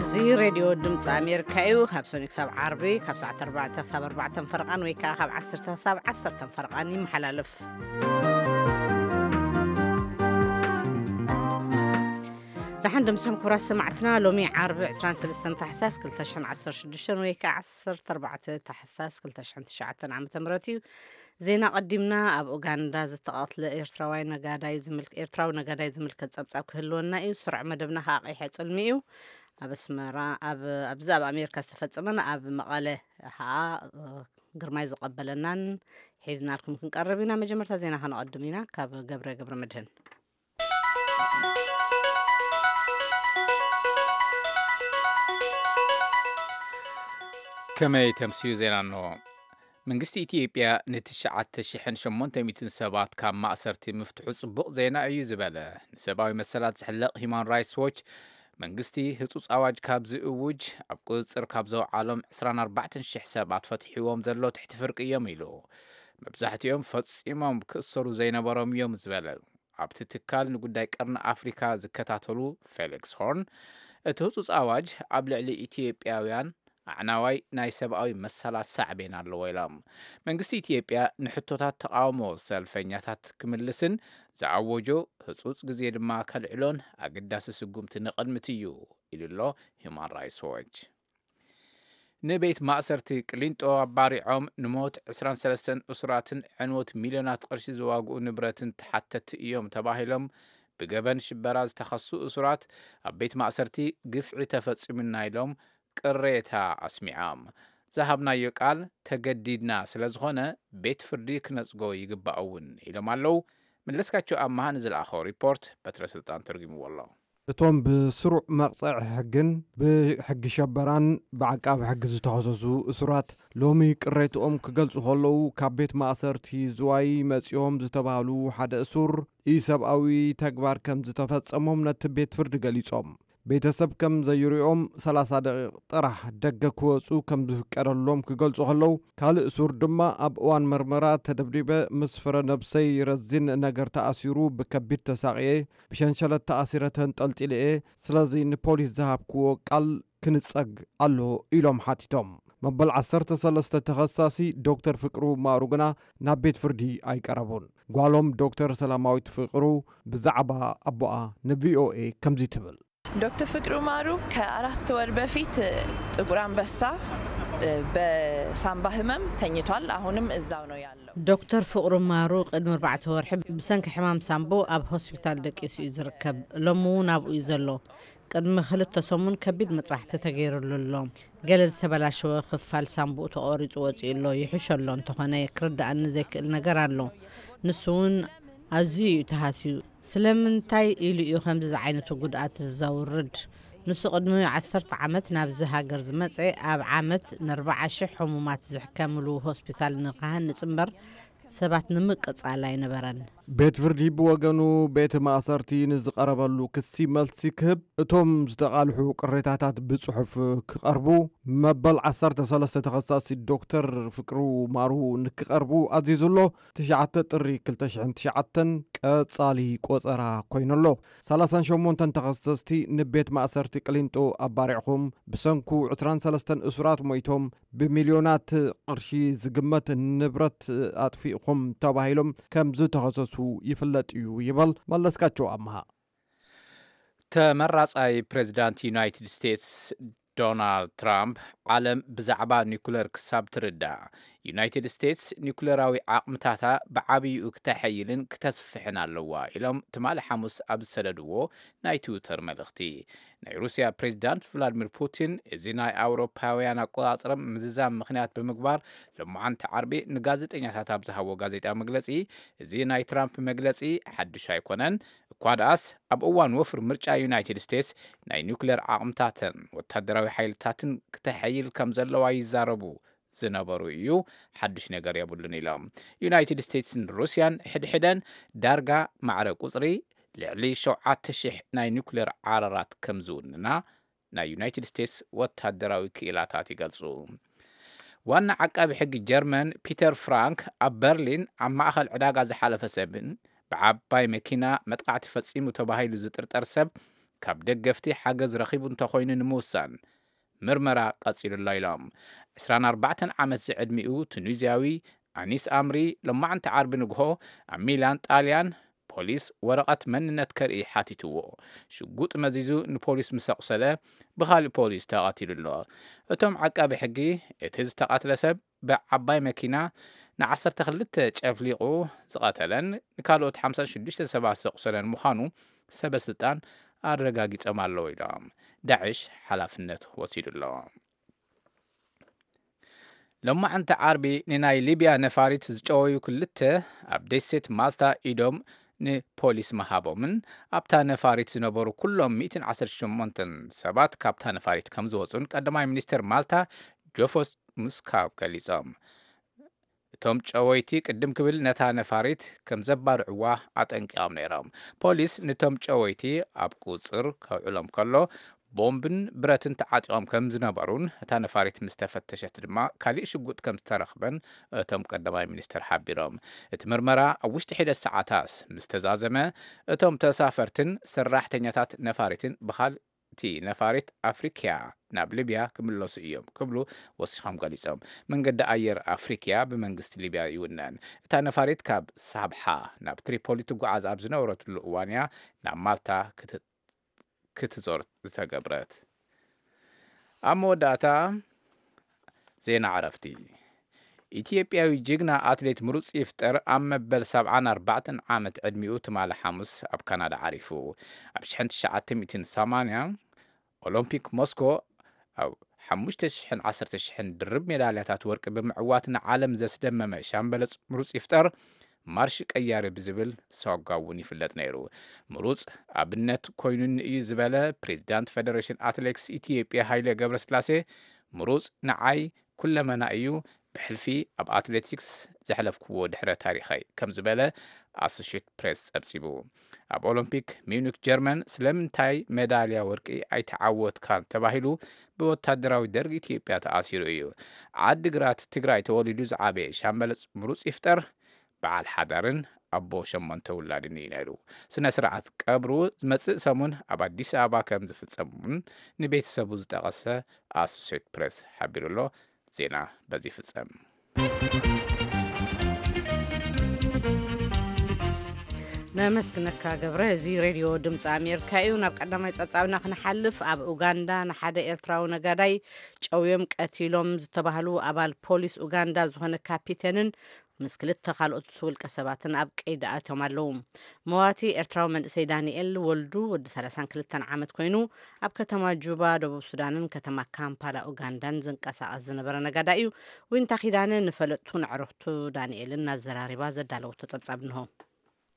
እዚ ሬድዮ ድምፂ ኣሜሪካ እዩ። ካብ ሰኑይ ክሳብ ዓርቢ ካብ ሰዓት ኣርባዕተ ክሳብ ኣርባዕተን ፈረቓን ወይ ከዓ ካብ ዓሰርተ ክሳብ ዓሰርተን ፈረቓን ይመሓላለፍ። ደሓን ደምስኹም ክቡራት ሰማዕትና። ሎሚ ዓርቢ ዕስራን ሰለስተን ታሕሳስ ክልተ ሽሕን ዓሰርተ ሽዱሽተን ወይ ከዓ ዓሰርተ ኣርባዕተ ታሕሳስ ክልተ ሽሕን ትሽዓተን ዓመተ ምህረት እዩ። ዜና ቀዲምና። ኣብ ኡጋንዳ ዝተቐትለ ኤርትራዊ ነጋዳይ ዝምልክ-፣ ኤርትራዊ ነጋዳይ ዝምልከት ጸብጻብ ክህልወና እዩ። ስሩዕ መደብና ከዓ ቀይሐ ጽልሚ እዩ። ኣብ ኣስመራ፣ ኣብ፣ ኣብዚ ኣብ ኣሜሪካ ዝተፈጸመን ኣብ መቐለ ከዓ፣ እ፣ ግርማይ ዝቐበለናን ሒዝናልኩም ክንቀርብ ኢና። መጀመርታ ዜና ከነቐድም ኢና ካብ ገብረ ገብረ መድህን። ከመይ ተምስዩ ዜና እንሆ። መንግስቲ ኢትዮጵያ ንትሽዓተ ሽሕን ሸሞንተ ሚእትን ሰባት ካብ ማእሰርቲ ምፍትሑ ጽቡቕ ዜና እዩ ዝበለ ንሰብኣዊ መሰላት ዝሕለቕ ሂማን ራይትስ ዎች፣ መንግስቲ ህጹጽ ኣዋጅ ካብ ዝእውጅ ኣብ ቁጽጽር ካብ ዘውዓሎም ዕስራን ኣርባዕተን ሽሕ ሰባት ፈትሒዎም ዘሎ ትሕቲ ፍርቂ እዮም ኢሉ። መብዛሕትኦም ፈጺሞም ክእሰሩ ዘይነበሮም እዮም ዝበለ ኣብቲ ትካል ንጉዳይ ቀርኒ ኣፍሪካ ዝከታተሉ ፌሊክስ ሆርን፣ እቲ ህጹጽ ኣዋጅ ኣብ ልዕሊ ኢትዮጵያውያን ኣዕናዋይ ናይ ሰብኣዊ መሰላት ሳዕቤን ኣለዎ ኢሎም። መንግስቲ ኢትዮጵያ ንሕቶታት ተቃውሞ ሰልፈኛታት ክምልስን ዝኣወጆ ህጹጽ ግዜ ድማ ከልዕሎን ኣገዳሲ ስጉምቲ ንቕድሚት እዩ ኢሉ ኣሎ ሂማን ራይትስ ዎች። ንቤት ማእሰርቲ ቅሊንጦ ኣባሪዖም ንሞት ዕስራን ሰለስተን እሱራትን ዕንወት ሚልዮናት ቅርሺ ዝዋግኡ ንብረትን ተሓተቲ እዮም ተባሂሎም ብገበን ሽበራ ዝተኸሱ እሱራት ኣብ ቤት ማእሰርቲ ግፍዒ ተፈጺሙና ኢሎም ቅሬታ ኣስሚዖም። ዝሃብናዮ ቃል ተገዲድና ስለ ዝኾነ ቤት ፍርዲ ክነጽጎ ይግባእ እውን ኢሎም ኣለዉ። መለስካቸው ኣማሃ ንዝለኣኸው ሪፖርት በትረ ስልጣን ተርጉምዎ ኣሎ። እቶም ብስሩዕ መቕጸዒ ሕግን ብሕጊ ሸበራን ብዓቃቢ ሕጊ ዝተኸሰሱ እሱራት ሎሚ ቅሬትኦም ክገልጹ ከለዉ፣ ካብ ቤት ማእሰርቲ ዝዋይ መጺኦም ዝተባህሉ ሓደ እሱር ኢሰብኣዊ ተግባር ከም ዝተፈጸሞም ነቲ ቤት ፍርዲ ገሊጾም። ቤተሰብ ከም ዘይርእዮም ሰላሳ ደቂቕ ጥራሕ ደገ ክወጹ ከም ዝፍቀደሎም ክገልጹ ከለዉ፣ ካልእ እሱር ድማ ኣብ እዋን መርመራ ተደብዲበ ምስ ፍረ ነብሰይ ረዚን ነገር ተኣሲሩ ብከቢድ ተሳቕየ፣ ብሸንሸለት ተኣሲረ ተንጠልጢለ እየ። ስለዚ ንፖሊስ ዝሃብክዎ ቃል ክንጸግ ኣሎ ኢሎም ሓቲቶም። መበል ዓሰርተ ሰለስተ ተኸሳሲ ዶክተር ፍቅሩ ማሩ ግና ናብ ቤት ፍርዲ ኣይቀረቡን። ጓሎም ዶክተር ሰላማዊት ፍቅሩ ብዛዕባ ኣቦኣ ንቪኦኤ ከምዚ ትብል። ዶክተር ፍቅሩ ማሩ ከአራት ወር በፊት ጥቁር አንበሳ በሳምባ ህመም ተኝቷል። አሁንም እዛው ነው ያለው። ዶክተር ፍቅሩ ማሩ ቅድሚ ኣርባዕተ ወርሒ ብሰንኪ ሕማም ሳምቦ ኣብ ሆስፒታል ደቂሱ እዩ ዝርከብ። ሎሚ እውን ኣብኡ እዩ ዘሎ። ቅድሚ ክልተ ሰሙን ከቢድ መጥባሕቲ ተገይሩሉ ኣሎ። ገለ ዝተበላሸወ ክፋል ሳምቡኡ ተቖሪጹ ወጺኡ ኣሎ። ይሕሾ ኣሎ፣ እንተኾነ ክርድኣኒ ዘይክእል ነገር ኣሎ። ንሱ እውን ኣዝዩ እዩ ተሃስዩ። ስለምንታይ ኢሉ እዩ ከምዚ ዝዓይነቱ ጉድኣት ዘውርድ? ንሱ ቅድሚ ዓሰርተ ዓመት ናብዚ ሃገር ዝመጸ፣ ኣብ ዓመት ንኣርባዓ ሽሕ ሕሙማት ዝሕከምሉ ሆስፒታል ንክሃንጽ እምበር ሰባት ንምቅጻል ኣይነበረን። ቤት ፍርዲ ብወገኑ፣ ቤት ማእሰርቲ ንዝቐረበሉ ክሲ መልሲ ክህብ፣ እቶም ዝተቓልሑ ቅሬታታት ብጽሑፍ ክቐርቡ፣ መበል ዓሰርተ ሰለስተ ተኸሳሲ ዶክተር ፍቅሩ ማሩ ንክቐርቡ ኣዚዙ ኣሎ። ትሽዓተ ጥሪ ክልተ ሽሕን ትሽዓተን ቀጻሊ ቆጸራ ኮይኑ ኣሎ። ሰላሳን ሸሞንተን ተኸሰስቲ ንቤት ማእሰርቲ ቅሊንጦ ኣባሪዕኹም፣ ብሰንኩ ዕስራን ሰለስተን እሱራት ሞይቶም፣ ብሚልዮናት ቅርሺ ዝግመት ንብረት ኣጥፊእኹም ተባሂሎም ከም ዝተኸሰሱ ይፍለጥ እዩ ይበል መለስካቸው ኣምሃ። ተመራጻይ ፕሬዚዳንት ዩናይትድ ስቴትስ ዶናልድ ትራምፕ፣ ዓለም ብዛዕባ ኒኩለር ክሳብ ትርዳእ፣ ዩናይትድ ስቴትስ ኒኩለራዊ ዓቕምታታ ብዓብይኡ ክተሐይልን ክተስፍሕን ኣለዋ ኢሎም ትማሊ ሓሙስ ኣብ ዝሰደድዎ ናይ ትዊተር መልእኽቲ። ናይ ሩስያ ፕሬዚዳንት ቭላድሚር ፑቲን፣ እዚ ናይ ኣውሮፓውያን ኣቆጻጽራ ምዝዛም ምኽንያት ብምግባር፣ ሎማዓንቲ ዓርቢ ንጋዜጠኛታት ኣብ ዝሃቦ ጋዜጣዊ መግለጺ፣ እዚ ናይ ትራምፕ መግለጺ ሓድሽ ኣይኮነን። እኳ ደኣስ፣ ኣብ እዋን ወፍሪ ምርጫ ዩናይትድ ስቴትስ ናይ ኒውክሌር ዓቕምታተን ወታደራዊ ሓይልታትን ክተሐይል ከም ዘለዋ ይዛረቡ ዝነበሩ እዩ፣ ሓድሽ ነገር የብሉን ኢሎም። ዩናይትድ ስቴትስን ሩስያን ሕድሕደን ዳርጋ ማዕረ ቁጽሪ ልዕሊ ሸውዓተ ሽሕ ናይ ኒውክሌር ዓረራት ከም ዝውንና ናይ ዩናይትድ ስቴትስ ወታደራዊ ክኢላታት ይገልጹ። ዋና ዓቃቢ ሕጊ ጀርመን ፒተር ፍራንክ ኣብ በርሊን ኣብ ማእኸል ዕዳጋ ዝሓለፈ ሰብን ብዓባይ መኪና መጥቃዕቲ ፈጺሙ ተባሂሉ ዝጥርጠር ሰብ ካብ ደገፍቲ ሓገዝ ረኺቡ እንተኾይኑ ንምውሳን ምርመራ ቀጺሉ ኣሎ ኢሎም። ዕስራን ኣርባዕተን ዓመት ዝዕድሚኡ ቱኒዝያዊ ኣኒስ ኣምሪ፣ ሎማዕንቲ ዓርቢ ንግሆ ኣብ ሚላን ጣልያን ፖሊስ ወረቐት መንነት ከርኢ ሓቲትዎ። ሽጉጥ መዚዙ ንፖሊስ ምስ ኣቑሰለ፣ ብኻልእ ፖሊስ ተቐቲሉ ኣሎ። እቶም ዓቃቢ ሕጊ፣ እቲ ዝተቐትለ ሰብ ብዓባይ መኪና ንዓሰርተ ክልተ ጨፍሊቑ ዝቐተለን ንካልኦት ሓምሳን ሽዱሽተን ሰባት ዘቑሰለን ምዃኑ ሰበ ስልጣን ኣረጋጊጾም ኣለዉ ኢሎም። ዳዕሽ ሓላፍነት ወሲዱ ኣሎ። ሎማዕንቲ ዓርቢ ንናይ ሊብያ ነፋሪት ዝጨወዩ ክልተ ኣብ ደሴት ማልታ ኢዶም ንፖሊስ ምሃቦምን ኣብታ ነፋሪት ዝነበሩ ኩሎም ሚእትን ዓሰርተ ሸሞንተን ሰባት ካብታ ነፋሪት ከም ዝወፁን ቀዳማይ ሚኒስትር ማልታ ጆፎስ ሙስካብ ገሊጾም። እቶም ጨወይቲ ቅድም ክብል ነታ ነፋሪት ከም ዘባርዕዋ ኣጠንቂቖም ነይሮም። ፖሊስ ነቶም ጨወይቲ ኣብ ቁጽር ከውዕሎም ከሎ ቦምብን ብረትን ተዓጢቖም ከም ዝነበሩን እታ ነፋሪት ምስ ተፈተሸት ድማ ካሊእ ሽጉጥ ከም ዝተረኽበን እቶም ቀዳማይ ሚኒስትር ሓቢሮም። እቲ ምርመራ ኣብ ውሽጢ ሒደት ሰዓታት ምስ ተዛዘመ እቶም ተሳፈርትን ሰራሕተኛታት ነፋሪትን ብኻል እቲ ነፋሪት ኣፍሪክያ ናብ ሊብያ ክምለሱ እዮም ክብሉ ወሲኾም ገሊጾም። መንገዲ ኣየር ኣፍሪክያ ብመንግስቲ ሊብያ ይውነን። እታ ነፋሪት ካብ ሳብሓ ናብ ትሪፖሊ ትጓዓዝ ኣብ ዝነበረትሉ እዋን እያ ናብ ማልታ ክት- ክትዞር ዝተገብረት። ኣብ መወዳእታ ዜና ዕረፍቲ። ኢትዮጵያዊ ጅግና ኣትሌት ምሩጽ ይፍጠር ኣብ መበል ሰብዓን ኣርባዕተን ዓመት ዕድሚኡ ትማሊ ሓሙስ ኣብ ካናዳ ዓሪፉ። ኣብ ሽሕን ትሽዓተ ሚእትን ሰማንያ ኦሎምፒክ ሞስኮ ኣብ ሓሙሽተ ሽሕን ዓሰርተ ሽሕን ድርብ ሜዳልያታት ወርቂ ብምዕዋት ንዓለም ዘስደመመ ሻምበል ምሩጽ ይፍጠር ማርሽ ቀያሪ ብዝብል ሳጓ እውን ይፍለጥ ነይሩ። ምሩጽ ኣብነት ኮይኑኒ እዩ ዝበለ ፕሬዚዳንት ፌደሬሽን ኣትሌቲክስ ኢትዮጵያ ሃይለ ገብረስላሴ፣ ምሩጽ ንዓይ ኩለመና እዩ፣ ብሕልፊ ኣብ ኣትሌቲክስ ዘሕለፍክዎ ድሕረ ታሪኸይ ከም ዝበለ ኣሶሼት ፕሬስ ጸብጺቡ። ኣብ ኦሎምፒክ ሚዩኒክ ጀርመን ስለምንታይ ሜዳልያ ወርቂ ኣይተዓወትካን ተባሂሉ ብወታደራዊ ደርግ ኢትዮጵያ ተኣሲሩ እዩ። ዓዲግራት ትግራይ ተወሊዱ ዝዓበየ ሻምበል ምሩጽ ይፍጠር በዓል ሓዳርን ኣቦ ሸሞንተ ውላድን እዩ ነይሩ። ስነ ስርዓት ቀብሩ ዝመጽእ ሰሙን ኣብ ኣዲስ ኣበባ ከም ዝፍጸም እውን ንቤተሰቡ ዝጠቐሰ ኣሶሴት ፕሬስ ሓቢሩ ኣሎ። ዜና በዚ ይፍጸም። ነመስግነካ ገብረ። እዚ ሬድዮ ድምፂ ኣሜሪካ እዩ። ናብ ቀዳማይ ጸብጻብና ክንሓልፍ፣ ኣብ ኡጋንዳ ንሓደ ኤርትራዊ ነጋዳይ ጨውዮም ቀቲሎም ዝተባህሉ ኣባል ፖሊስ ኡጋንዳ ዝኾነ ካፒቴንን ምስ ክልተ ካልኦት ውልቀ ሰባትን ኣብ ቀይዲ ኣትዮም ኣለዉ። መዋቲ ኤርትራዊ መንእሰይ ዳንኤል ወልዱ ወዲ ሰላሳን ክልተን ዓመት ኮይኑ ኣብ ከተማ ጁባ ደቡብ ሱዳንን ከተማ ካምፓላ ኡጋንዳን ዝንቀሳቐስ ዝነበረ ነጋዳ እዩ። ዊንታ ኪዳነ ንፈለጥቱን ኣዕሩኽቱ ዳንኤልን እናዘራሪባ ዘዳለወቶ ጸብጻብ እንሆ።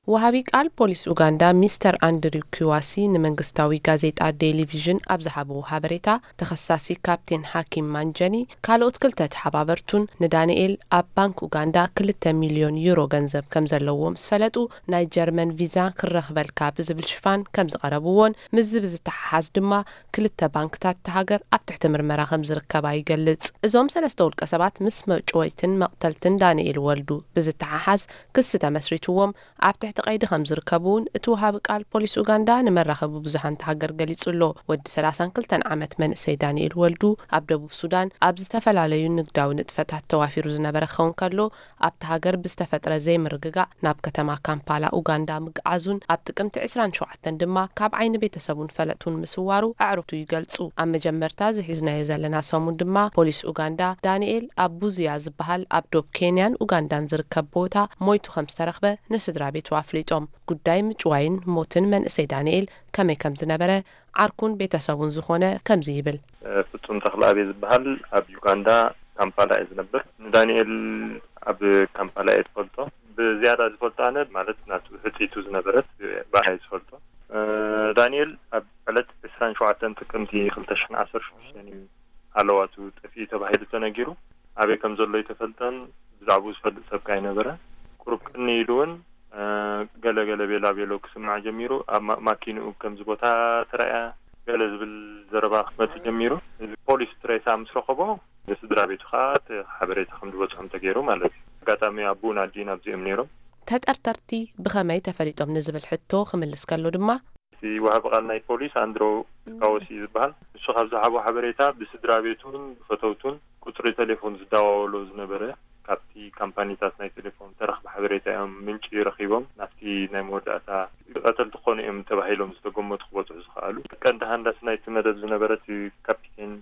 ወሃቢ ቃል ፖሊስ ኡጋንዳ ሚስተር ኣንድሪው ኪዋሲ ንመንግስታዊ ጋዜጣ ዴይሊ ቪዥን ኣብ ዝሃብዎ ሓበሬታ፣ ተኸሳሲ ካፕቴን ሓኪም ማንጀኒ ካልኦት ክልተ ተሓባበርቱን ንዳንኤል ኣብ ባንክ ኡጋንዳ ክልተ ሚልዮን ዩሮ ገንዘብ ከም ዘለዎ ምስ ፈለጡ፣ ናይ ጀርመን ቪዛ ክረኽበልካ ብዝብል ሽፋን ከም ዝቐረብዎን ምስዚ ብዝተሓሓዝ ድማ ክልተ ባንክታት እታ ሃገር ኣብ ትሕቲ ምርመራ ከም ዝርከባ ይገልጽ። እዞም ሰለስተ ውልቀ ሰባት ምስ መጭወይትን መቕተልትን ዳንኤል ወልዱ ብዝተሓሓዝ ክሲ ተመስሪትዎም ኣብ ትሕቲ ቀይዲ ከም ዝርከቡ እውን እቲ ወሃቢ ቃል ፖሊስ ኡጋንዳ ንመራኸቢ ብዙሃን እታ ሃገር ገሊጹ ኣሎ። ወዲ ሰላሳን ክልተን ዓመት መንእሰይ ዳንኤል ወልዱ ኣብ ደቡብ ሱዳን ኣብ ዝተፈላለዩ ንግዳዊ ንጥፈታት ተዋፊሩ ዝነበረ ክኸውን ከሎ፣ ኣብቲ ሃገር ብዝተፈጥረ ዘይምርግጋእ ናብ ከተማ ካምፓላ ኡጋንዳ ምግዓዙን ኣብ ጥቅምቲ ዕስራን ሸውዓተን ድማ ካብ ዓይኒ ቤተሰቡን ፈለጡን ምስዋሩ ኣዕሩኽቱ ይገልጹ። ኣብ መጀመርታ ዝሒዝናዮ ዘለና ሰሙን ድማ ፖሊስ ኡጋንዳ ዳንኤል ኣብ ቡዝያ ዝበሃል ኣብ ዶብ ኬንያን ኡጋንዳን ዝርከብ ቦታ ሞይቱ ከም ዝተረኽበ ንስድራ ቤቱ ኣፍሊጦም። ጉዳይ ምጭዋይን ሞትን መንእሰይ ዳንኤል ከመይ ከም ዝነበረ ዓርኩን ቤተሰቡን ዝኾነ ከምዚ ይብል። ፍጹም ተኽለኣብ ዝበሃል ኣብ ዩጋንዳ ካምፓላ እየ ዝነብር። ንዳንኤል ኣብ ካምፓላ እየ ዝፈልጦ። ብዝያዳ ዝፈልጦ ኣነ ማለት ናቱ ሕጽይቱ ዝነበረት ብኣይ ዝፈልጦ። እ፣ ዳንኤል ኣብ ዕለት ዕስራን ሸውዓተን ጥቅምቲ ክልተ ሽሕን ዓሰርተ ሽዱሽተን እዩ ኣለዋቱ ጠፊኡ ተባሂሉ ተነጊሩ። ኣበይ ከም ዘሎ ኣይተፈልጠን። ብዛዕባኡ ዝፈልጥ ሰብ ከኣ ኣይነበረ። ቁሩብ ቅኒ ኢሉ እውን፣ እ፣ ገለ ገለ ቤላ ቤሎ ክስማዕ ጀሚሩ። ኣብ ማ-፣ ማኪንኡ ከምዚ ቦታ ተራእያ ገለ ዝብል ዘረባ ክመጽእ ጀሚሩ። እዚ ፖሊስ እቲ ሬሳ ምስ ረኸቦ ንስድራ ቤቱ ከኣ እቲ ሓበሬታ ከም ዝበጽሖም ተገይሩ ማለት እዩ። ኣጋጣሚ ኣቦኡን ኣዲኡን ኣብዚኦም ነይሮም። ተጠርጠርቲ ብኸመይ ተፈሊጦም ንዝብል ሕቶ ክምልስ ከሎ ድማ፣ እቲ ወሃቢ ቃል ናይ ፖሊስ ኣንድሮ ካወሲ ዝበሃል፣ ንሱ ካብ ዝሃቦ ሓበሬታ፣ ብስድራ ቤቱን ብፈተውቱን ቁጽሪ ቴሌፎን ዝደዋወሎ ዝነበረ፣ ካብቲ ካምፓኒታት ናይ ቴሌፎን ተረኽበ ሓበሬታ እዮም ምንጪ ረኺቦም፣ ናብቲ ናይ መወዳእታ ቀተልቲ ክኾኑ እዮም ተባሂሎም ዝተገመቱ ክበጽሑ ዝኸኣሉ። ቀንዲ ሃንዳሲ ናይቲ መደብ ዝነበረ እቲ ካፒቴን፣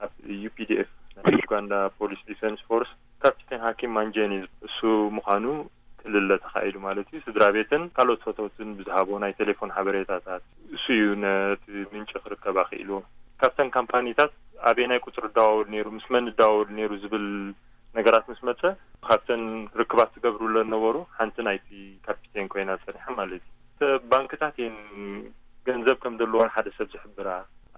ኣብ ዩ ፒ ዲ ኤፍ፣ ናይ ዩጋንዳ ፖሊስ ዲፌንስ ፎርስ፣ ካፒቴን ሃኪም ማንጀኒ፣ እሱ ምዃኑ ክልለ ተኻኢሉ ማለት እዩ። ስድራ ቤትን ካልኦት ፈተውትን ብዝሃቦ ናይ ቴሌፎን ሓበሬታታት፣ እሱ እዩ ነቲ ምንጪ ክርከብ ኣኽኢልዎ። ካብተን ካምፓኒታት ኣበየናይ ቁጽሪ እደዋወል ነይሩ፣ ምስ መን እደዋወል ነይሩ ዝብል ነገራት ምስ መጸ፣ ካብተን ርክባት ዝገብሩለን ነበሩ፣ ሓንቲ ናይቲ ካፒቴን ኮይና ጸኒሓ ማለት እዩ። ባንክታት እየን ገንዘብ ከም ዘለዎን ሓደ ሰብ ዝሕብራ፣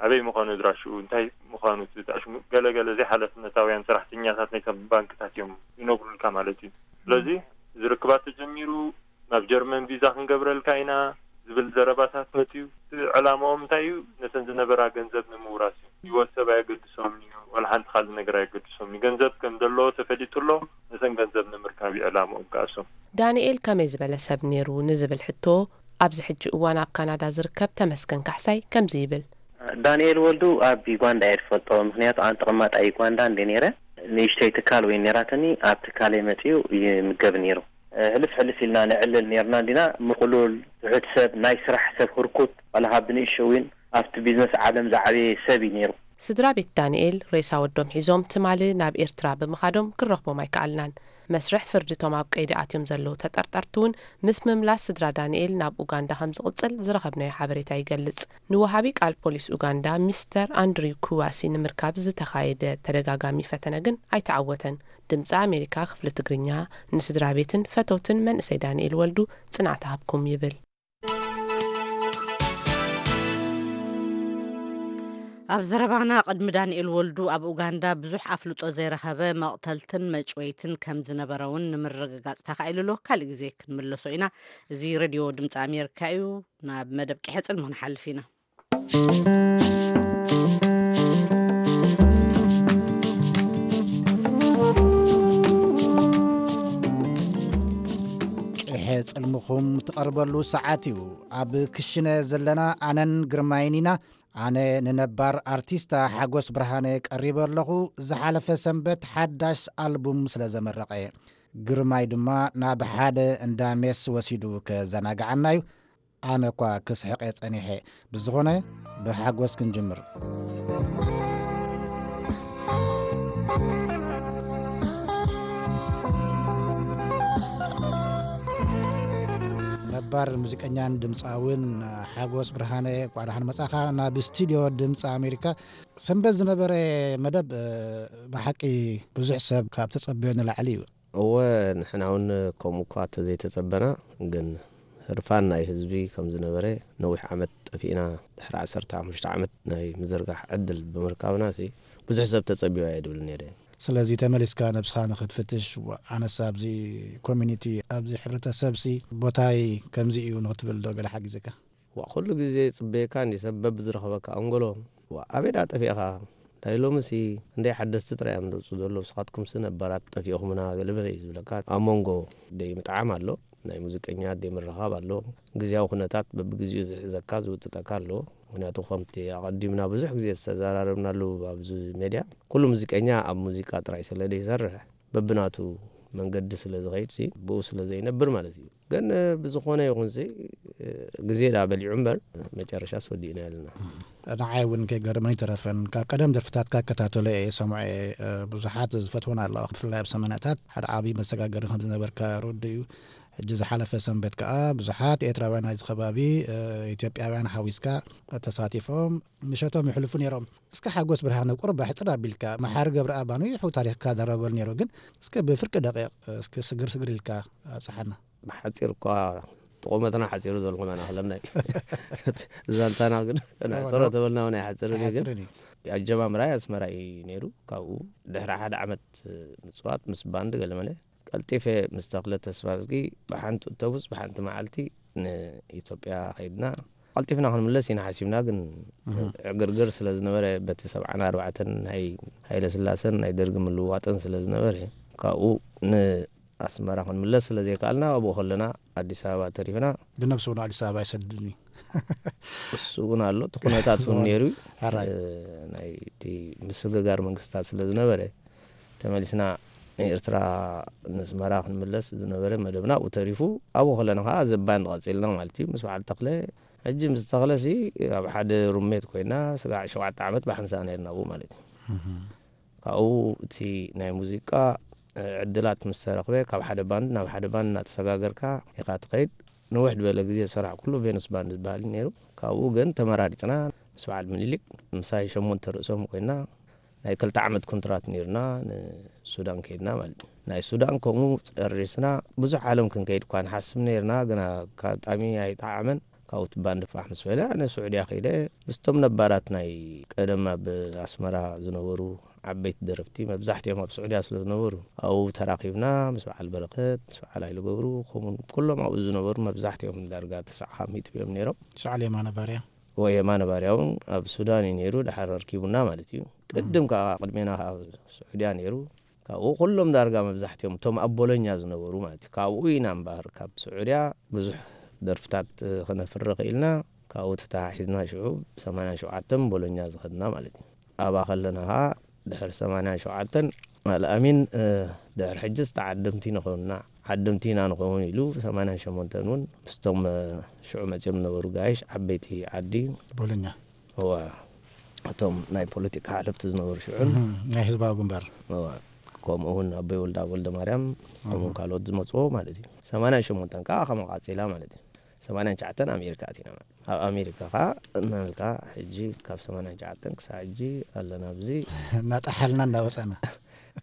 ኣበይ ምዃኑ ኣድራሽኡ፣ እንታይ ምዃኑ፣ እቲ ኣሽሙ፣ ገለ ገለ ዘይሓላፍነታውያን ሰራሕተኛታት ናይተን ባንክታት እዮም ይነግሩልካ ማለት እዩ። ስለዚ እዚ ርክባት ተጀሚሩ፣ ናብ ጀርመን ቪዛ ክንገብረልካ ኢና ዝብል ዘረባታት መፅዩ። እቲ ዕላማኦም እንታይ እዩ? ነተን ዝነበራ ገንዘብ ንምውራስ እዩ። ህይወት ሰብ ኣየገድሶምን እዩ፣ ዋላ ሓንቲ ካልእ ነገር ኣየገድሶምን እዩ። ገንዘብ ከም ዘለዎ ተፈሊጡ ኣሎ፣ ነተን ገንዘብ ንምርካብ እዩ ዕላማኦም ከኣሶም። ዳንኤል ከመይ ዝበለ ሰብ ነይሩ ንዝብል ሕቶ፣ ኣብዚ ሕጂ እዋን ኣብ ካናዳ ዝርከብ ተመስገን ካሕሳይ ከምዚ ይብል። ዳንኤል ወልዱ ኣብ ዩጋንዳ እየ ዝፈልጦ፣ ምኽንያቱ ኣነ ተቐማጣይ ዩጋንዳ እንደ ነይረ፣ ንእሽተይ ትካል ወይ ነራትኒ፣ ኣብ ትካለይ መፅዩ ይምገብ ነይሩ። ሕልፍ ሕልፍ ኢልና ንዕልል ነርና እንዲና፣ ምቕሉል፣ ትሑት ሰብ፣ ናይ ስራሕ ሰብ፣ ህርኩት፣ ዋላ ካብ ብንእሽተይ እውን ኣብቲ ቢዝነስ ዓለም ዝዓበየ ሰብ እዩ ነይሩ። ስድራ ቤት ዳንኤል ሬሳ ወዶም ሒዞም ትማሊ ናብ ኤርትራ ብምኻዶም ክንረኽቦም ኣይከኣልናን። መስርሕ ፍርዲ እቶም ኣብ ቀይዲ ኣትዮም ዘለዉ ተጠርጠርቲ እውን ምስ ምምላስ ስድራ ዳንኤል ናብ ኡጋንዳ ከም ዝቕጽል ዝረኸብናዮ ሓበሬታ ይገልጽ። ንወሃቢ ቃል ፖሊስ ኡጋንዳ ሚስተር ኣንድሪው ኩዋሲ ንምርካብ ዝተኻየደ ተደጋጋሚ ፈተነ ግን ኣይተዓወተን። ድምጺ ኣሜሪካ ክፍሊ ትግርኛ ንስድራ ቤትን ፈተውትን መንእሰይ ዳንኤል ወልዱ ጽንዓት ሃብኩም ይብል። ኣብ ዘረባና፣ ቅድሚ ዳንኤል ወልዱ ኣብ ኡጋንዳ ብዙሕ ኣፍልጦ ዘይረኸበ መቕተልትን መጭወይትን ከም ዝነበረ እውን ንምርግጋጽ ተኻኢሉ ኣሎ። ካልእ ግዜ ክንምለሶ ኢና። እዚ ሬድዮ ድምፂ ኣሜሪካ እዩ። ናብ መደብ ቅሐ ጽልሚ ክንሓልፍ ኢና። ቅሐ ጽልምኹም ትቐርበሉ ሰዓት እዩ። ኣብ ክሽነ ዘለና ኣነን ግርማይን ኢና። ኣነ ንነባር ኣርቲስታ ሓጎስ ብርሃነ ቀሪበ ኣለኹ። ዝሓለፈ ሰንበት ሓዳሽ ኣልቡም ስለ ዘመረቐ፣ ግርማይ ድማ ናብ ሓደ እንዳ ሜስ ወሲዱ ከዘናግዓና እዩ። ኣነ እኳ ክስሕቐ ጸኒሐ። ብዝኾነ፣ ብሓጎስ ክንጅምር። ነባር ሙዚቀኛን ድምፃውን ሓጎስ ብርሃነ፣ እንኳዕ ደሓን መጻኻ ናብ ስቱድዮ ድምፂ ኣሜሪካ። ሰንበት ዝነበረ መደብ፣ እ፣ ብሓቂ ብዙሕ ሰብ ካብ ተጸበዮ ንላዕሊ እዩ። እወ፣ ንሕና እውን ከምኡ እኳ ተዘይተጸበና፣ ግን ህርፋን ናይ ህዝቢ ከም ዝነበረ፣ ነዊሕ ዓመት ጠፊእና፣ ድሕሪ ዓሰርተ ሓሙሽተ ዓመት ናይ ምዝርጋሕ ዕድል ብምርካብና፣ ሲ ብዙሕ ሰብ ተጸቢዩ ኣየ ድብል ነይረ። ስለዚ ተመሊስካ ነብስኻ ንኽትፍትሽ፣ ዋ፣ ኣነስ ኣብዚ ኮሚኒቲ፣ ኣብዚ ሕብረተሰብ ሲ ቦታይ ከምዚ እዩ ንኽትብል ዶ ገለ ሓጊዘካ? ዋ፣ ኩሉ ግዜ ይጽበየካ እንዲ ሰብ በብዝረኸበካ ኣንጎሎ። ዋ፣ ኣበይ ደኣ ጠፊእኻ? ናይ ሎምሲ እንደይ ሓደስቲ ጥራይ እዮም ዝወጹ ዘለዉ፣ ንስኻትኩምሲ ነባራት ጠፊእኹምና ገለ በለ እዩ ዝብለካ። ኣብ መንጎ ደይ ምጥዓም ኣሎ፣ ናይ ሙዚቀኛ ደይ ምርኻብ ኣሎ። ግዝያዊ ኩነታት በብግዜኡ ዝሕዘካ ዝውጥጠካ ኣሎ። ምኽንያቱ ከምቲ ኣቐዲምና ብዙሕ ግዜ ዝተዘራረብናሉ ኣብዚ ሜድያ፣ ኩሉ ሙዚቀኛ ኣብ ሙዚቃ ጥራይ ስለ ዘይሰርሕ፣ በብናቱ መንገዲ ስለ ዝኸይድሲ፣ ብኡ ስለ ዘይነብር ማለት እዩ። ግን ብዝኾነ ይኹንሲ፣ ግዜ ደኣ በሊዑ እምበር፣ መጨረሻስ ወዲእና ኣለና። ንዓይ እውን ከይገርመኒ ተረፈን። ካብ ቀደም ደርፍታትካ እከታተሎ እየ፣ ሰምዖ እየ። ብዙሓት ዝፈትወን ኣለዋ። ብፍላይ ኣብ ሰማንያታት ሓደ ዓብዪ መሰጋገሪ ከም ዝነበርካ ርዱእ እዩ። ሕጂ ዝሓለፈ ሰንበት ከኣ ብዙሓት ኤርትራውያን ናይዚ ከባቢ፣ ኢትዮጵያውያን ሓዊስካ ተሳቲፎም ምሸቶም የሕልፉ ነይሮም። እስከ ሓጎስ ብርሃነ ቁሩብ ኣሕጽር ኣቢልካ፣ መሓሪ ገብረኣብ ኣንዊሑ ታሪኽካ ዘረበሉ ነይሩ፣ ግን እስከ ብፍርቂ ደቂቕ እስከ ስግር ስግር ኢልካ ኣብጽሓና። ብሓጺር እኳ እቲ ቁመትና ሓጺሩ ዘሎ መን ኣኽለና እዩ። ዛንታና ግን ናይ ሰሮ ተበልና እውን ኣይሓጽርን እዩ። ግን ኣይሓጽርን እዩ። ኣጀማምራይ ኣስመራ እዩ ነይሩ። ካብኡ ድሕሪ ሓደ ዓመት ምጽዋት ምስ ባንድ ገለመለ ቀልጢፈ ምስ ተኽለ ተስፋዝጊ ብሓንቲ ኣውቶቡስ ብሓንቲ መዓልቲ ንኢትዮጵያ ከይድና። ቀልጢፍና ክንምለስ ኢና ሓሲብና፣ ግን እህ። ዕግርግር ስለ ዝነበረ በቲ ሰብዓን ኣርባዕተን ናይ ሃይለ ስላሰን ናይ ደርጊ ምልውዋጥን ስለ ዝነበረ፣ ካብኡ ንኣስመራ ክንምለስ ስለ ዘይከኣልና ኣብኡ ከለና ኣዲስ ኣበባ ተሪፍና። ብነብሱ ንኣዲስ ኣበባ ይሰድድኒ። እሱ እውን ኣሎ፣ እቲ ኩነታት እውን ነይሩ እዩ። ሕራይ። እ፣ ናይ እቲ ምስግጋር መንግስታት ስለ ዝነበረ፣ ተመሊስና ንኤርትራ፣ ንስመራ ክንምለስ ዝነበረ መደብና ኣብኡ ተሪፉ፣ ኣብኡ ከለና ከዓ ዘባን ቀፂልና ማለት እዩ። ምስ በዓል ተኽለ፣ ሕጂ ምስ ተኽለ ሲ ኣብ ሓደ ሩሜት ኮይና ስጋዕ ሸውዓተ ዓመት ብሓንሳእ ነርና ኣብኡ ማለት እዩ። ካብኡ እቲ ናይ ሙዚቃ ዕድላት ምስ ተረኽበ፣ ካብ ሓደ ባንድ ናብ ሓደ ባንድ እናተሰጋገርካ ኢኻ ትኸይድ። ንውሕ ዝበለ ግዜ ዝሰራሕኩሉ ቬኑስ ባንድ ዝበሃል እዩ ነይሩ። ካብኡ ግን ተመራሪፅና ምስ በዓል ምኒልክ፣ ምሳይ ሸሞንተ ርእሶም ኮይና፣ ናይ ክልተ ዓመት ኮንትራት ነይሩና፣ ንሱዳን ከይድና ማለት እዩ። ናይ ሱዳን ከምኡ ጨሪስና፣ ብዙሕ ዓለም ክንከይድ እኳ ንሓስብ ነይርና፣ ግና ኣጋጣሚ ኣይጠዓመን። ካብኡ እቲ ባንድ ፋሕ ምስ በለ፣ ኣነ ስዑድያ ከይደ፣ ምስቶም ነባራት ናይ ቀደም ኣብ ኣስመራ ዝነበሩ ዓበይቲ ደረፍቲ፣ መብዛሕትኦም ኣብ ስዑድያ ስለ ዝነበሩ፣ ኣብኡ ተራኺብና፣ ምስ በዓል በረኸት፣ ምስ በዓል ሃይለ ገብሩ፣ ከምኡውን ኩሎም ኣብኡ ዝነበሩ መብዛሕትኦም ዳርጋ ተስዓ ካብ ሚእቲ እዮም ነይሮም። ሰዓል የማነ ባርያ። ወይ የማነ ባርያ እውን ኣብ ሱዳን እዩ ነይሩ፣ ድሓር ኣርኪቡና ማለት እዩ። ቅድም ከዓ ቅድሜና ኣብ ስዑድያ ነይሩ። ካብኡ ኩሎም ዳርጋ መብዛሕትኦም እቶም ኣብ ቦሎኛ ዝነበሩ ማለት እዩ። ካብኡ ኢና እምበኣር ካብ ስዑድያ ብዙሕ ደርፍታት፣ እ፣ ክነፍሪ ክኢልና። ካብኡ ተተሓሒዝና ሽዑ ብ ሰማንያን ሸውዓተን ቦሎኛ ዝኸድና ማለት እዩ። ኣብኣ ከለና ከዓ ድሕሪ ሰማንያን ሸውዓተን ኣልኣሚን፣ እ፣ ድሕሪ ሕጅስ ተዓደምቲ ንኸውንና፣ ዓደምቲ ኢና ንኸውን ኢሉ፣ ሰማንያን ሸሞንተን እውን ምስቶም፣ እ፣ ሽዑ መፂኦም ዝነበሩ ጋይሽ ዓበይቲ ዓዲ ቦሎኛ። እዋ፣ እቶም ናይ ፖለቲካ ሓለፍቲ ዝነበሩ ሽዑን፣ እህ፣ ናይ ህዝባዊ ግንባር። እዋ፣ ከምኡ እውን ኣቦይ ወልዳ ወልደ ማርያም፣ ከምኡ ካልኦት ዝመፅዎ ማለት እዩ። ሰማንያን ሸሞንተን ከዓ ከመ ቃፂላ ማለት እዩ። ሰማንያን ትሽዓተን ኣሜሪካ ኣቲና ማለት እዩ። ኣብ ኣሜሪካ ከዓ እናልካ ሕጂ ካብ ሰማንያን ትሽዓተን ክሳብ ሕጂ ኣለና። ኣብዚ እናጠሓልና እናወፀና።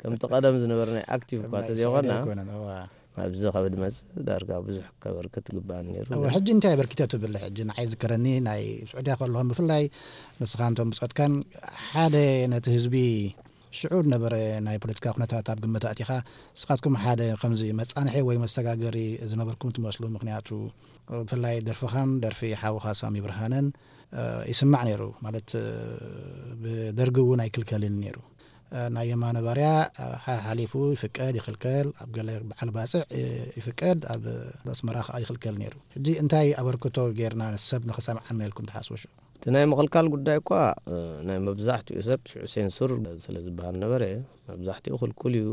ከምቲ ቀደም ዝነበረ ናይ ኣክቲቭ እኳ ናይ ተዘይኮና፣ ስዑዲ ኣይኮነን። እዋ። ኣብዚ ካብ ድመጽእ ዳርጋ ብዙሕ ከበርክት ግባእ ነይሩ። እዋ፣ ሕጂ እንታይ ኣበርኪተ ትብል? ሕጂ ንዓይ ዝከረኒ ናይ ስዑድያ ከለኹም ብፍላይ ንስኻ እንቶም ብጾትካን ሓደ ነቲ ህዝቢ ሽዑ ነበረ ናይ ፖለቲካ ኩነታት ኣብ ግምት ኣእቲኻ ንስኻትኩም ሓደ ከምዚ መጻንሒ ወይ መሰጋገሪ ዝነበርኩም ትመስሉ። ምኽንያቱ ብፍላይ ደርፍኻን ደርፊ ሓውኻ ሳሚ ብርሃነን፣ እ፣ ይስማዕ ነይሩ። ማለት፣ እ፣ ብደርጊ እውን ኣይክልከልን ነይሩ። እ፣ ናይ የማነ ባርያ፣ እ፣ ሓ-፣ ሓሊፉ ይፍቀድ ይኽልከል፣ ኣብ ገለ በዓል ባጽዕ፣ እ፣ ይፍቀድ፣ ኣብ ኣስመራ ከኣ ይኽልከል ነይሩ። ሕጂ እንታይ ኣበርክቶ ጌርና ሰብ ንኽሰምዓና ኢልኩም ትሓስቡ ሽዑ? እቲ ናይ ምኽልካል ጉዳይ እኳ፣ እ፣ ናይ መብዛሕትኡ ሰብ ሽዑ ሴንሱር ስለ ዝበሃል ነበረ፣ መብዛሕትኡ ክልኩል እዩ።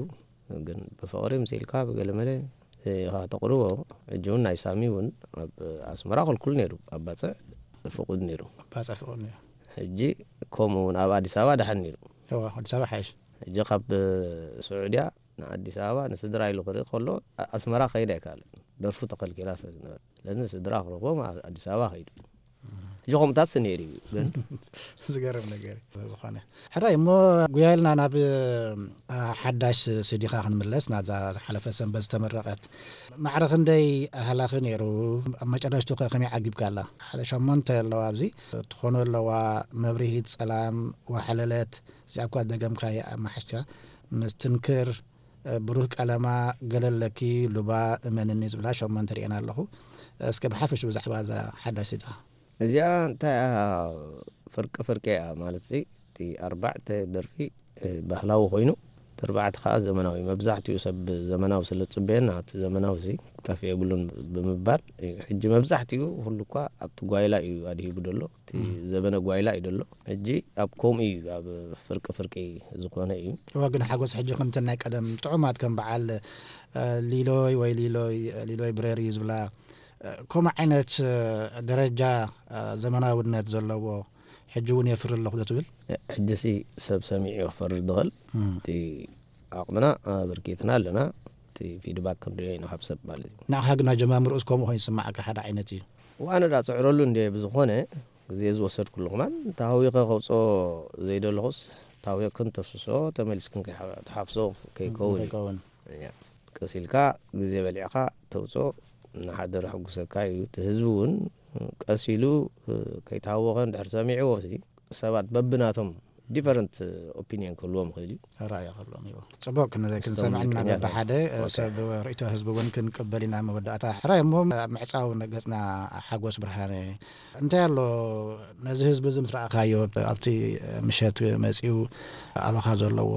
ግን ብፍቕሪ ምስ ኢልካ ብገለመለ ኢኻ ተቕርቦ። ሕጂ እውን ናይ ሳሚ እውን ኣብ ኣስመራ ክልኩል ነይሩ፣ ኣብ ባጽዕ ፍቑድ ነይሩ። ባጽዕ ፍቑድ ነይሩ። ሕጂ ከምኡ እውን ኣብ ኣዲስ ኣበባ ደሓን ነይሩ። እዋ፣ ኣዲስ ኣበባ ሓይሽ። ሕጂ ካብ ስዑድያ ንኣዲስ ኣበባ ንስድራ ኢሉ ክርኢ ከሎ፣ ኣ-፣ ኣስመራ ከይድ ኣይከኣለን። ደርፉ ተኸልኪላ ስለ ዝነበረ። ስለዚ ንስድራ ክረኽቦም ኣ-፣ ኣዲስ ኣበባ ከይዱ። ሕጂ ከምኡታት ነይሩ እዩ፣ ግን ዝገርም ነገር እዩ። ዝኾነ ሕራይ እሞ፣ ጉያ ኢልና ናብ፣ እ፣ ሓዳሽ ሲዲኻ ክንምለስ፣ ናብዛ ዝሓለፈ ሰንበት ዝተመረቐት። ማዕረ ክንደይ ኣህላኺ ነይሩ? ኣብ መጨረሽቱ ከ ከመይ ዓጊብካ ኣላ? ሓደ ሸሞንተ ኣለዋ ኣብዚ። ትኾኑ ኣለዋ፣ መብርሂት፣ ጸላም፣ ዋሕለለት፣ እዚኣ እኳ ደገምካያ ኣብ መሓሽካ፣ ምስትንክር፣ እ፣ ብሩህ ቀለማ፣ ገለለኪ፣ ሉባ፣ እመንኒ ዝብላ ሸሞንተ ርእየን ኣለኹ። እስከ ብሓፈሽ ብዛዕባ እዛ ሓዳሽ ሲዲኻ። እዚኣ እንታይ እያ? ፍርቂ ፍርቂ እያ። ማለት ሲ፣ እቲ ኣርባዕተ ደርፊ፣ እ፣ ባህላዊ ኮይኑ፣ እቲ ኣርባዕተ ከዓ ዘመናዊ። መብዛሕትኡ ሰብ ዘመናዊ ስለ ዝጽበየና፣ እቲ ዘመናዊ ሲ ክጠፍእ የብሉን ብምባል፣ እ፣ ሕጂ መብዛሕትኡ ኩሉ እኳ ኣብቲ ጓይላ እዩ ኣድሂቡ ደሎ። እቲ እም። ዘበነ ጓይላ እዩ ደሎ። ሕጂ ኣብ ከምኡ እዩ፣ ኣብ ፍርቂ ፍርቂ ዝኾነ እዩ። እወ፣ ግን ሓጎስ ሕጂ ከምተን ናይ ቀደም ጥዑማት ከም በዓል፣ እ፣ ሊሎይ ወይ ሊሎይ፣ ሊሎይ ብረር እዩ ዝብላ፣ እ፣ ከምኡ ዓይነት፣ እ፣ ደረጃ፣ እ፣ ዘመናውነት ዘለዎ ሕጂ እውን የፍሪ ኣለኹ ዶ ትብል? ሕጂ ሲ ሰብ ሰሚዑ እዩ ክፈርድ ዝኽእል። እም። እቲ ዓቕምና ኣበርኪትና ኣለና። እቲ ፊድባክ ክንሪኦ ኢና ካብ ሰብ ማለት እዩ። ንዓኻ ግን ኣጀማምርኡስ ከምኡ ኮይኑ ይስምዓካ፣ ሓደ ዓይነት እዩ? ዋነ ዳ ጽዕረሉ እንደ ብዝኾነ ግዜ ዝወሰድኩሉ ከማን ተሃዊኸ ከውፅኦ ዘይደለኹስ ተሃዊኽን ተፍስሶ ተመሊስክን ከይሓ-፣ ተሓፍሶ ከይከውን እዩ። ከይከውን። እያ። ቀስ ኢልካ ግዜ በሊዕካ ተውፅኦ ንሓደር ኣሕጉሰካ እዩ። እቲ ህዝቢ እውን ቀስ ኢሉ፣ እ፣ ከይተሃወኸ እንድሕር ሰሚዕዎ ሲ ሰባት በብናቶም ዲፈረንት ኦፒኒየን ክህልዎም ይኽእል እዩ። ራእይ ክህልዎም እዩ። ጽቡቅ፣ ክን-፣ እቶም ክንሰምዕና ምልከኛታት። በብሓደ፣ እ፣ ኦኬ። ሰብ ርእይቶ ህዝቢ እውን ክንቅበል ኢና መወዳእታ። ሕራይ እሞ ኣብ ምዕጻው ገጽና ሓጎስ ብርሃነ፣ እንታይ ኣሎ ነዚ ህዝቢ እዚ ምስ ረኣኻዮ ኣብቲ ምሸት መጺኡ ኣባኻ ዘለዎ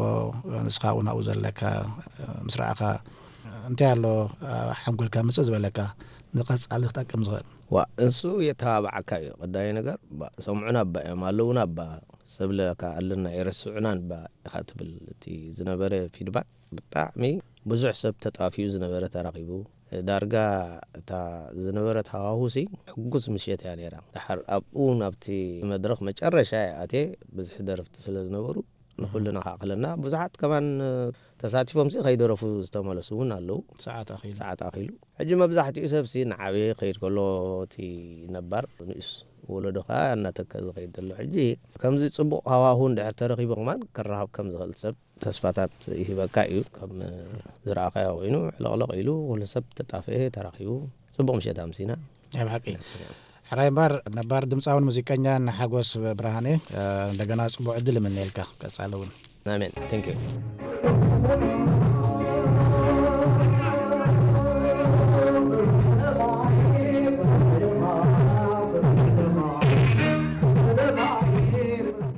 ንስኻ እውን ኣብኡ ዘለካ ምስ ረኣኻ እንታይ ኣሎ ሓንጎልካ ምጽእ ዝበለካ? ንቐጻሊ ክጠቅም ዝኽእል? ዋ፣ እንሱ የተባባዓካ እዩ። ቀዳይ ነገር፣ ባ-፣ ሰምዑና እባ እዮም፣ ኣለዉና እባ፣ ሰብለካ ኣለና፣ የረስዑና እባ ኢኻ ትብል። እቲ ዝነበረ ፊድባክ ብጣዕሚ ብዙሕ ሰብ ተጣፍዩ ዝነበረ ተራኺቡ። ዳርጋ እታ ዝነበረት ሃዋሁሲ ሕጉስ ምሸት እያ ነይራ። ድሓር ኣብኡ ናብቲ መድረኽ መጨረሻ እየ ኣትየ፣ ብዝሒ ደረፍቲ ስለ ዝነበሩ ንኹልና ከኣኽለና። ብዙሓት ከማን ተሳቲፎምሲ ከይደረፉ ዝተመለሱ እውን ኣለዉ። ሰዓት ኣኺሉ። ሰዓት ኣኺሉ። ሕጂ መብዛሕትኡ ሰብሲ ንዓበየ ከይድ ከሎ እቲ ነባር ንኡስ ወለዶ ከኣ እናተከ ዝኸይድ ዘሎ። ሕጂ ከምዚ ጽቡቕ ሃዋሁ እንድሕር ተረኺቡ ከማን ከረኻብ ከም ዝኽእል ሰብ ተስፋታት ይህበካ እዩ። ከም ዝረኣኻዮ ኮይኑ ሕለቕለቕ ኢሉ ኩሉ ሰብ ተጣፍኤ ተራኺቡ ጽቡቕ ምሸት ኣምሲና። ናይ ብሓቂ። ሕራይ እምበር ነባር ድምፃውን ሙዚቀኛን ሓጎስ ብርሃኔ፣ እ፣ እንደገና ጽቡቕ ዕድል እምነየልካ ቀጻሊ እውን። ኣሜን። Thank you።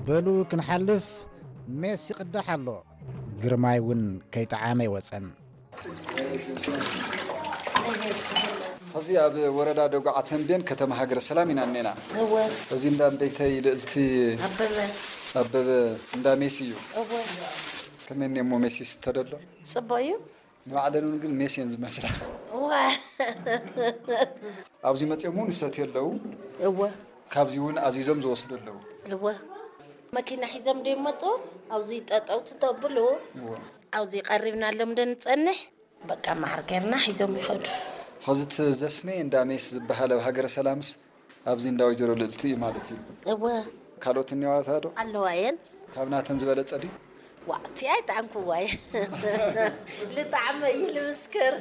በሉ ክንሓልፍ፣ ሜስ ይቕዳሕ ኣሎ። ግርማይ እውን ከይጠዓመ ይወፀን። ሕዚ ኣብ ወረዳ ደጉዓ ተንቤን ከተማ ሃገረ ሰላም ኢና እኔና። እዚ እንዳ እምበይተይ ልእልቲ ኣበበ እንዳ ሜሲ እዩ። ከመይ እሞ ሜሲ ስተደሎ? ጽቡቕ እዩ። ንባዕለን እውን ግን ሜስ እየን ዝመስላ። ኣብዚ መፅኦም እውን ይሰትዩ ኣለዉ። እወ ካብዚ እውን ኣዚዞም ዝወስዱ ኣለዉ። እወ መኪና ሒዞም ዶ ይመፁ? ኣብዚ ጠጠው ትተብሉ። ኣብዚ ቀሪብና ኣሎም ዶ ንፀንሕ? በቃ መዓር ገርና ሒዞም ይኸዱ። ኸዚ እቲ ዘስሜ እንዳ ሜስ ዝበሃል ኣብ ሃገረ ሰላምስ ኣብዚ እንዳ ወይዘሮ ልእልቲ እዩ ማለት እዩ። እወ ካልኦት እኒዋታ ዶ? ኣለዋ እየን። ካብ ናተን ዝበለጸ ድዩ? ዋዕቲ ኣይጣዕምኩዋይ። ልጣዕመ እዩ ልምስክር።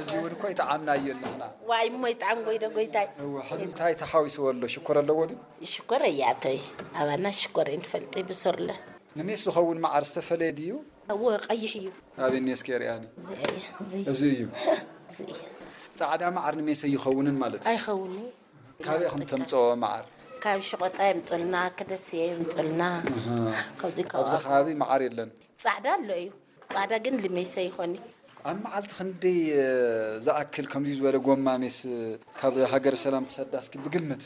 እዚ እውን እኮ ይጠዓምና እዩ ኣለና። ዋይ እሞ ይጣዕምጎይ ዶ ጎይታይ። እወ፣ ሕዚ እንታይ ተሓዊስዎ ኣሎ? ሽኮር ኣለዎ ድዩ? ሽኮር እያተይ። ኣባና ሽኮር እንፈልጥ ብሰርለ። ንሜስ ዝኸውን መዓር ዝተፈለየ ድዩ? እወ ቀይሕ እዩ። ኣበኒ እስኪ ርኣኒ። እዚ እዩ። ጻዕዳ መዓር ንሜስ ኣይኸውንን ማለት እዩ። ኣይኸውን። ካበይ ኢኹም ተምጽኦ መዓር? ካብ ሽቆጣ የምፅልና ክደስየ የምፅልና። ካብዚ ኣብዚ ከባቢ መዓር የለን። ጻዕዳ ኣሎ እዩ። ጻዕዳ ግን ልሜሰ ይኾኒ። ኣብ መዓልቲ ክንደይ ዝኣክል ከምዚ ዝበለ ጎማ ሜስ ካብ ሃገረ ሰላም ትሰዳ እስኪ ብግምት?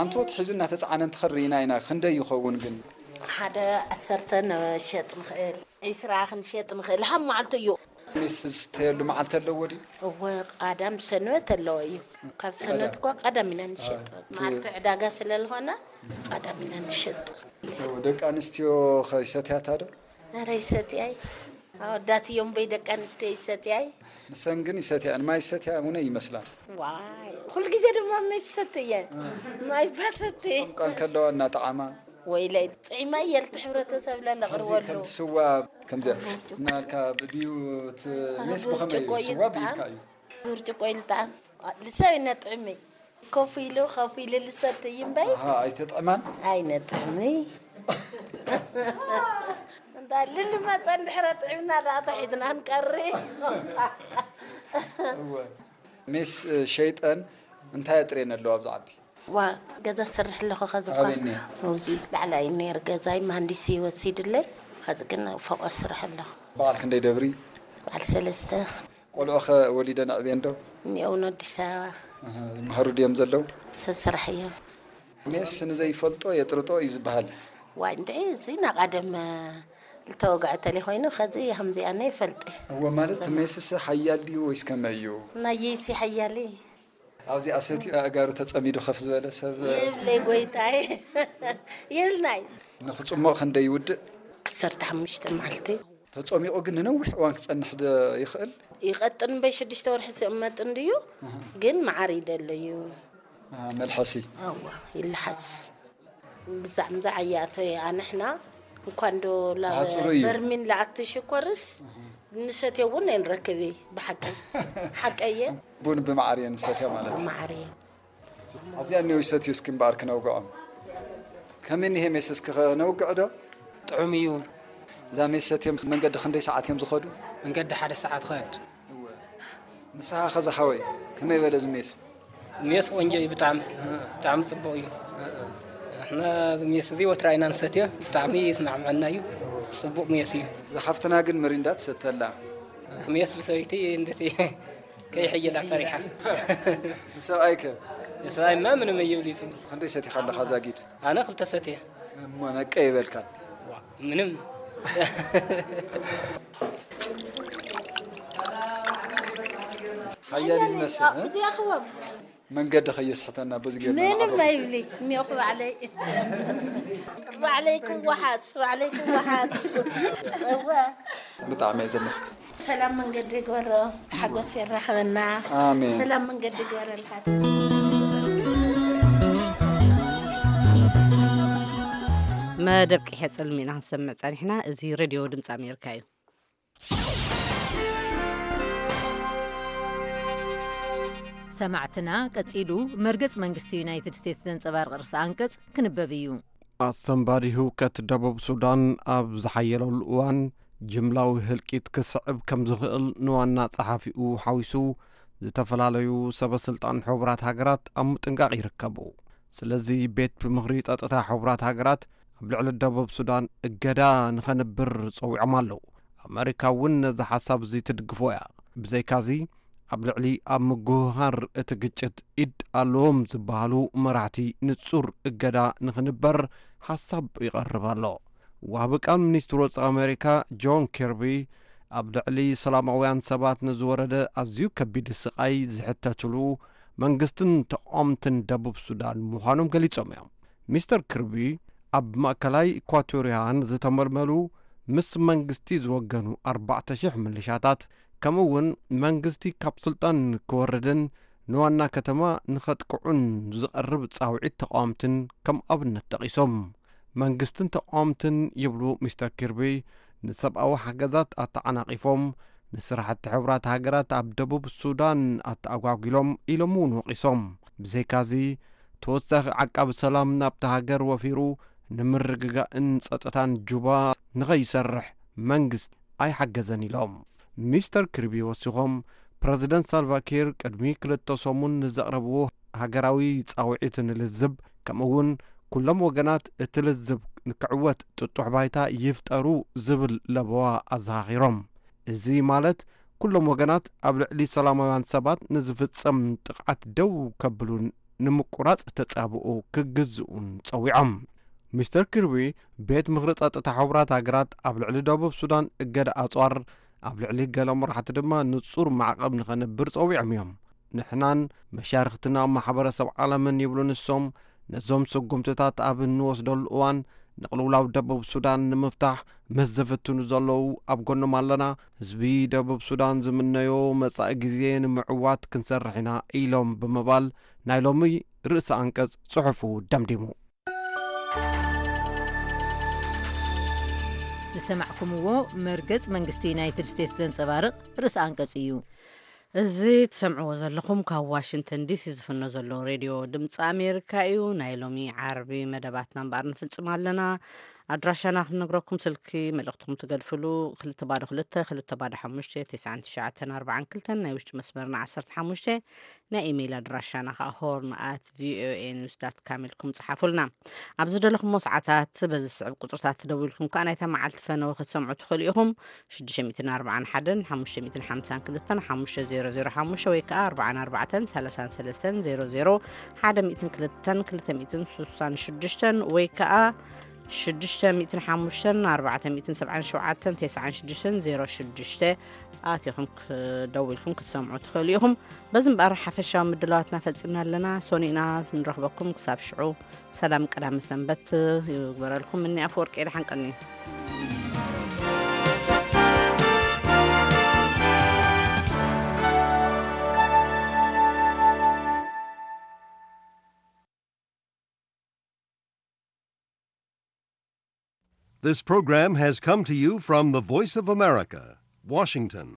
ኣንትሮት ሒዙ እናተፃዕነ እንትኸድ ርኢና ኢና። ክንደይ ይኸውን ግን? ሓደ ዓሰርተ ንሸጥ ንኽእል፣ ዒስራ ክንሸጥ ንኽእል። ሃብ መዓልቱ እዩ። ሜስ ዝስተየሉ መዓልቲ ኣለዎ ድዩ? እወ፣ ቃዳም ሰንበት ኣለዎ እዩ። ካብ ሰንበት እኳ ቀዳም ኢና ንሸጥ። መዓልቲ ዕዳጋ ስለ ዝኾነ ቀዳም ኢና ንሸጥ። ደቂ ኣንስትዮ ከ ይሰትያታ ዶ? ኧረ ይሰትያይ። ኣወዳት እዮም በይ ደቂ ኣንስትዮ ይሰትያይ። ንሰን ግን ይሰትያን ማይ ይሰትያ እውን ይመስላ። ዋይ ኩሉ ግዜ ድማ ማይ ሰትየ። ማይ ባሰትየ። ጾምቃን ከለዋ እናጠዓማ። ወይለይ ጥዒማ የልቲ ሕብረተሰብ ለለቕርበሉ። ከምቲ ስዋ ከምዚ እናልካ ብድዩ እቲ ሜስ ብኸመይ እዩ? ስዋ ብኢድካ እዩ። ብርጭቆ ይልጣም ልሰብ ይነጥዕሚ። ኮፍ ኢሉ ኮፍ ኢሉ ልሰትይ እምበይ። ኣይተጥዕማን? ኣይነጥዕሚ። እንዳ ልልመፀ እንድሕረ ጥዕምና ደኣ ተሒዝና ንቀሪ። ሜስ ሸይጠን እንታይ ኣጥሬን ኣለዋ ኣብዚ ዓዲ? ዋ ገዛ ስርሕ ኣለኹ። ከዚ እኳ ኣብዚ ላዕላይ ነይር ገዛይ መሃንዲስ ወሲድለይ። ከዚ ግን ፎቆ ስርሕ ኣለኹ። በዓል ክንደይ ደብሪ? በዓል ሰለስተ። ቆልዑ ኸ ወሊደን ኣዕብየን ዶ? እኒኦውን ኣዲስ ኣበባ ይምሃሩ ድዮም ዘለዉ? ሰብ ስራሕ እዮም። ሜስ ንዘይፈልጦ የጥርጦ እዩ ዝበሃል። ዋይ እንድዒ እዚ ናቓደም ዝተወግዐ ተለይ ኮይኑ ከዚ ከምዚኣ ነ ይፈልጥ። እወ ማለት እቲ ሜስስ ሓያል ድዩ ወይስ ከመይ እዩ? ናየይሲ ሓያል ኣብዚኣ ሰቲኡ ኣእጋሩ ተጸሚዱ ከፍ ዝበለ ሰብ የብለይ ጎይታይ የብልናይ። ንኽጽሞቕ ክንደይ ይውድእ? ዓሰርተ ሓሙሽተ መዓልቲ። ተጸሚቑ ግን ንነዊሕ እዋን ክጸንሕ ዶ ይኽእል? ይቐጥን እምበይ ሽዱሽተ ወርሒ ዝቕመጥ እንድዩ ግን መዓር ይደለዩ። መልሐሲ ኣዋ ይልሓስ። ብዛዕ ምዛዕ እያቶ ኣንሕና እንኳን ዶ ላብ ኣጽሩ እዩ። በርሚን ለኣቲ ሽኮርስ ንሰትዮ እውን ኣይንረክብ እዩ ብሓቂ ሓቀየ። ቡን ብመዓር እየ ንሰትዮ ማለት እዩ። ብመዓር እየ። ኣብዚኣ እኒኦ ይሰትዩ እስኪ እምበኣር ክነውግዖም። ከመይ እኒሄ ሜስ እስኪ ከነውግዕ ዶ? ጥዑም እዩ። እዛ ሜስ ሰትዮም መንገዲ ክንደይ ሰዓት እዮም ዝኸዱ? መንገዲ ሓደ ሰዓት ኸድ። ንስኻ ኸ ዝሓወይ ከመይ በለ እዚ ሜስ? ሜስ ቆንጆ እዩ ብጣዕሚ ብጣዕሚ ፅቡቅ እዩ። ንሕና እዚ ሜስ እዚ ወትራ ኢና ንሰትዮ ብጣዕሚ ይስማዕመዐና እዩ። ፅቡቅ ሜስ እዩ። እዛ ሓፍትና ግን ምሪንዳ ትሰተላ። ሜስ ብሰበይቲ እንደት ከይሕይላ ፈሪሓ። ንሰብኣይከ? ንሰብኣይማ ምንም እዩ ብሊጹ። ክንደይ ሰቲኻ ኣለኻ ዛጊድ? ኣነ ክልተ ሰትየ። እሞ ነቀ ይበልካን? ዋ፣ ምንም። ሓያል እዩ ዝመስል፣ እ? እዚኣኽዎም መንገዲ ከየስሕተና በዚ ገርና ምንም ንዓርፎ። ኣይብሊ እኒኦኹ ባዕለይ። ባዕለይ ክወሓስ፣ ባዕለይ ክወሓስ። እወ። ብጣዕሚ እየ ዘመስግን። ሰላም መንገዲ ይግበሮ፣ ሓጎስ የራኸበና። ኣሜን። ሰላም መንገዲ ይግበረልካ። መደብ ቅሔ ጽልሚ ኢና ክንሰምዕ ጸኒሕና። እዚ ሬድዮ ድምፂ ኣሜሪካ እዩ። ሰማዕትና፣ ቀጺሉ መርገጽ መንግስቲ ዩናይትድ ስቴትስ ዘንጸባርቕ ርእሰ ኣንቀጽ ክንበብ እዩ። ኣሰንባዲ ህውከት ደቡብ ሱዳን ኣብ ዝሓየለሉ እዋን፣ ጅምላዊ ህልቂት ክስዕብ ከም ዝኽእል ንዋና ጸሓፊኡ ሓዊሱ፣ ዝተፈላለዩ ሰበ ስልጣን ሕቡራት ሃገራት ኣብ ምጥንቃቕ ይርከቡ። ስለዚ፣ ቤት ምኽሪ ጸጥታ ሕቡራት ሃገራት ኣብ ልዕሊ ደቡብ ሱዳን እገዳ ንኸንብር ጸዊዖም ኣለዉ። ኣመሪካ እውን ነዚ ሓሳብ እዚ ትድግፎ እያ። ብዘይካዚ፣ ኣብ ልዕሊ ኣብ ምጉህሃር እቲ ግጭት ኢድ ኣለዎም ዝበሃሉ መራሕቲ ንጹር እገዳ ንኽንበር ሓሳብ ይቐርብ ኣሎ። ወሃቢ ቃል ሚኒስትሪ ወጻኢ ኣመሪካ ጆን ኪርቢ፣ ኣብ ልዕሊ ሰላማውያን ሰባት ንዝወረደ ኣዝዩ ከቢድ ስቓይ ዝሕተትሉ መንግስትን ተቓወምትን ደቡብ ሱዳን ምዃኖም ገሊጾም እዮም። ሚስተር ኪርቢ፣ ኣብ ማእከላይ ኢኳቶርያን ዝተመልመሉ ምስ መንግስቲ ዝወገኑ ኣርባዕተ ሽሕ ምልሻታት፣ ከምኡ እውን መንግስቲ ካብ ስልጣን ክወርድን ንዋና ከተማ ንኸጥቅዑን ዝቐርብ ጻውዒት ተቓወምትን ከም ኣብነት ጠቒሶም። መንግስትን ተቓወምትን፣ ይብሉ ሚስተር ኪርቢ፣ ንሰብኣዊ ሓገዛት ኣተዓናቒፎም፣ ንስራሕቲ ሕቡራት ሃገራት ኣብ ደቡብ ሱዳን ኣተኣጓጒሎም ኢሎም እውን ወቒሶም። ብዘይካዚ፣ ተወሳኺ ዓቃቢ ሰላም ናብታ ሃገር ወፊሩ ንምርግጋእን ጸጥታን ጁባ ንኸይሰርሕ መንግስቲ ኣይሓገዘን ኢሎም። ሚስተር ኪርቢ ወሲኾም፣ ፕረዚደንት ሳልቫኪር ቅድሚ ክልተ ሰሙን ንዘቕረብዎ ሃገራዊ ጻውዒት ንልዝብ፣ ከምኡ እውን ኩሎም ወገናት እቲ ልዝብ ንክዕወት ጥጡሕ ባይታ ይፍጠሩ ዝብል ለበዋ ኣዘኻኺሮም። እዚ ማለት ኩሎም ወገናት ኣብ ልዕሊ ሰላማውያን ሰባት ንዝፍጸም ጥቕዓት ደው ከብሉን ንምቁራጽ ተጻብኦ ክግዝኡን ጸዊዖም። ሚስተር ኪርቢ፣ ቤት ምኽሪ ጸጥታ ሕቡራት ሃገራት ኣብ ልዕሊ ደቡብ ሱዳን እገዳ ኣጽዋር፣ ኣብ ልዕሊ ገለ መራሕቲ ድማ ንጹር ማዕቐብ ንኸንብር ጸዊዖም እዮም። ንሕናን መሻርኽትና ማሕበረሰብ ዓለምን፣ ይብሉ ንሶም፣ ነዞም ስጉምትታት ኣብ እንወስደሉ እዋን፣ ንቕልውላው ደቡብ ሱዳን ንምፍታሕ ምስ ዝፍትኑ ዘለዉ ኣብ ጎኖም ኣለና። ህዝቢ ደቡብ ሱዳን ዝምነዮ መጻኢ ግዜ ንምዕዋት ክንሰርሕ ኢና፣ ኢሎም ብምባል ናይ ሎሚ ርእሰ ኣንቀጽ ጽሑፉ ደምዲሙ። ዝሰማዕኩምዎ መርገጽ መንግስቲ ዩናይትድ ስቴትስ ዘንጸባርቕ ርእሰ ኣንቀጽ እዩ። እዚ ትሰምዕዎ ዘለኹም ካብ ዋሽንግተን ዲሲ ዝፍኖ ዘሎ ሬድዮ ድምፂ ኣሜሪካ እዩ። ናይ ሎሚ ዓርቢ መደባትና እምበኣር ንፍጽም ኣለና። ኣድራሻና ክንነግረኩም፣ ስልኪ መልእኽትኩም ትገድፍሉ፣ ክልተ ባዶ ክልተ፣ ክልተ ባዶ ሓሙሽተ፣ ተስዓን ትሽዓተን ኣርባዓን ክልተን፣ ናይ ውሽጢ መስመርና ዓሰርተ ሓሙሽተ፣ ናይ ኢሜይል ኣድራሻና ከዓ ሆርን ኣት ቪኦኤ ኒውስ ዳት ካም ኢልኩም ጽሓፉልና። ኣብ ዝደለኹሞ ሰዓታት በዚ ዝስዕብ ቁጽርታት ትደውልኩም ከኣ ናይታ መዓልቲ ፈነወ ክትሰምዑ ትኽእሉ ኢኹም። ሽዱሽተ ሚእትን ኣርባዓን ሓደን ሓሙሽተ ሚእትን ሓምሳን ክልተን ሓሙሽተ ዜሮ ዜሮ ሓሙሽተ ወይ ከኣ ኣርባዓን ኣርባዕተን ሰላሳን ሰለስተን ዜሮ ዜሮ ሓደ ሚእትን ክልተን ክልተ ሚእትን ስሳን ሽዱሽተን ወይ ከኣ ሽዱሽተ ሚእትን ሓሙሽተን ኣርባዕተ ሚእትን ሰብዓን ሸውዓተን ተስዓን ሽዱሽተን ዜሮ ሽዱሽተ ኣቲኹም ክደውልኩም ክትሰምዑ ትኽእሉ ኢኹም። በዚ እምበኣር ሓፈሻዊ ምድላዋትና ፈጺምና ኣለና። ሰኑይ ኢና ንረኽበኩም። ክሳብ ሽዑ ሰላም ቀዳመ ሰንበት ይግበረልኩም። እኒ ኣፈወርቂ ደሓን ቀኒ። This program has come to you from the Voice of America, Washington.